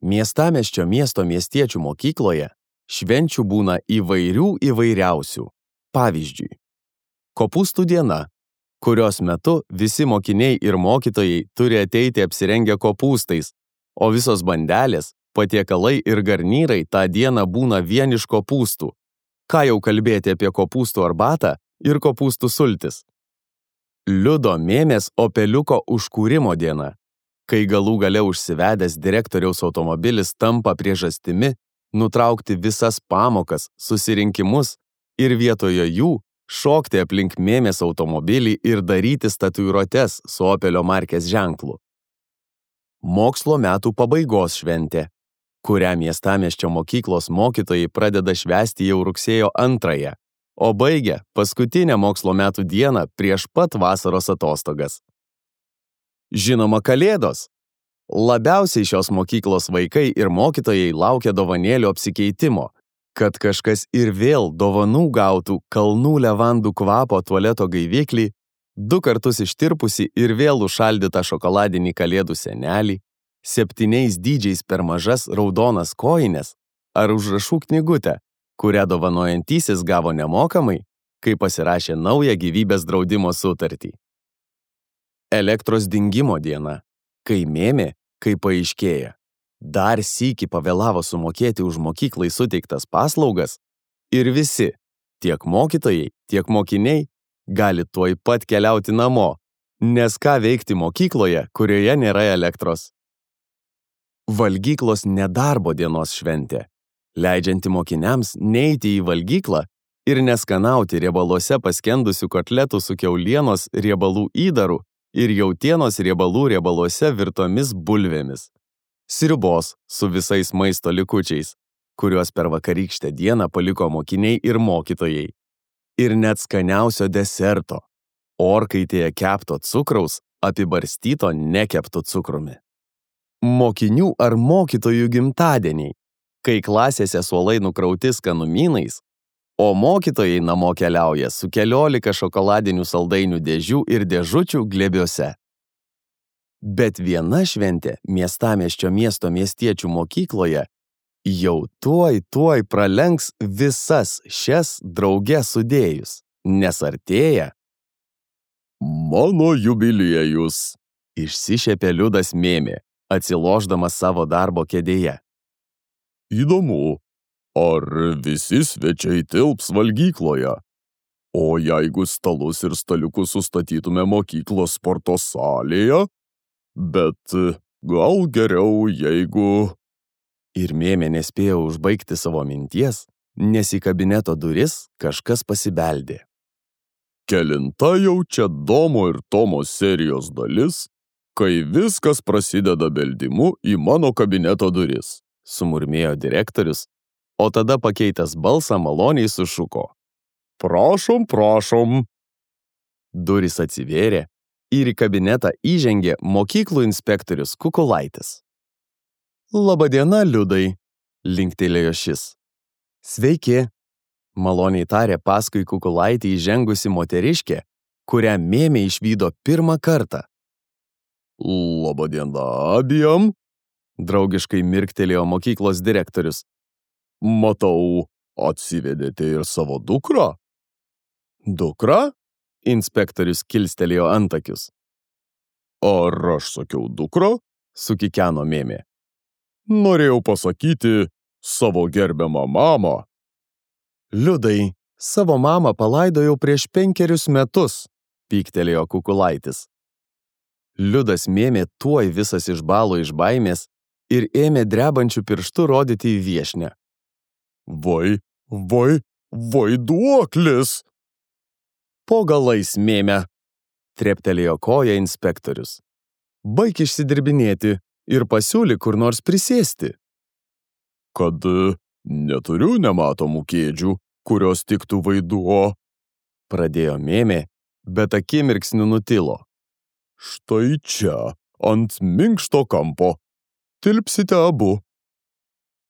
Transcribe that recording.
Miestamiesčio miestiečių mokykloje švenčių būna įvairiausių. Pavyzdžiui, kopūstų diena, kurios metu visi mokiniai ir mokytojai turi ateiti apsirengę kopūstais, o visos bandelės, patiekalai ir garnyrai tą dieną būna vien iš kopūstų. Ką jau kalbėti apie kopūstų arbatą ir kopūstų sultis. Liudo Mėmės Opeliuko užkūrimo diena, kai galų gale užsivedęs direktoriaus automobilis tampa priežastimi nutraukti visas pamokas, susirinkimus ir vietoje jų šokti aplink Mėmės automobilį ir daryti tatuiruotes su Opelio markės ženklu. Mokslo metų pabaigos šventė, kurią miestamiesčio mokyklos mokytojai pradeda švęsti jau rugsėjo 2, o baigia paskutinę mokslo metų dieną prieš pat vasaros atostogas. Žinoma, Kalėdos. Labiausiai šios mokyklos vaikai ir mokytojai laukia dovanėlių apsikeitimo, kad kažkas ir vėl dovanų gautų kalnų levandų kvapo tualeto gaiviklį, 2 kartus ištirpusi ir vėl užšaldytą šokoladinį kalėdų senelį, 7 dydžiais per mažas raudonas kojines ar užrašų knygutę, kurią dovanojantysis gavo nemokamai, kai pasirašė naują gyvybės draudimo sutartį. Elektros dingimo diena, kai Mėmė, kaip paaiškėja, dar sykį pavėlavo sumokėti už mokyklai suteiktas paslaugas ir visi, tiek mokytojai, tiek mokiniai, gali tuoj pat keliauti namo, nes ką veikti mokykloje, kurioje nėra elektros. Valgyklos nedarbo dienos šventė, leidžianti mokiniams neiti į valgyklą ir neskanauti riebaluose paskendusių kotletų su kiaulienos riebalų įdaru ir jautienos riebaluose virtomis bulvėmis, sriubos su visais maisto likučiais, kuriuos per vakarykštę dieną paliko mokiniai ir mokytojai, ir net skaniausio deserto, orkaitėje kepto cukraus apibarstyto nekeptu cukrumi. Mokinių ar mokytojų gimtadieniai, kai klasėse suolai nukrauti skanumynais, o mokytojai namo keliauja su 14 šokoladinių saldainių dėžių ir dėžučių glėbiuose. Bet viena šventė miestamiesčio miestiečių mokykloje jau tuoj pralenks visas šias drauge sudėjus, nes artėja mano jubiliejus, išsišiepė Liudas Mėmė, atsilošdamas savo darbo kėdėje. Įdomu, ar visi svečiai tilps valgykloje? O jeigu stalus ir staliukus sustatytume mokyklos sporto salėje? Bet gal geriau, jeigu... Ir Mėmė nespėjo užbaigti savo minties, nes į kabineto duris kažkas pasibeldė. Kelinta jau čia Domo ir Tomo serijos dalis, kai viskas prasideda beldimu į mano kabineto duris, sumurmėjo direktorius, o tada pakeitęs balsą maloniai sušuko. Prašom, prašom. Durys atsivėrė ir į kabinetą įžengė mokyklų inspektorius Kukulaitis. Labadiena, Liudai, linktelėjo šis. Sveiki, maloniai tarė paskui Kukulaitį įžengusi moteriškė, kurią Mėmė išvydo pirmą kartą. Labadiena abiem, draugiškai mirktelėjo mokyklos direktorius. Matau, atsivedėte ir savo dukrą? Dukrą? Inspektorius kilstelėjo antakius. Ar aš sakiau dukrą? Sukikeno Mėmė. Norėjau pasakyti savo gerbiamą mamą. Liudai, savo mamą palaidojau prieš 5 metus, pyktelėjo Kukulaitis. Liudas Mėmė tuoj visas išbalo iš baimės ir ėmė drebančių pirštų rodyti į viešnę. Vaiduoklis! Po galais, Mėmė, treptelėjo koja inspektorius. Baik išsidirbinėti ir pasiūlyk kur nors prisėsti. Kad neturiu nematomų kėdžių, kurios tiktų Vaiduo, pradėjo Mėmė, bet akimirksniu nutilo. Štai čia, ant minkšto kampo. Tilpsite abu.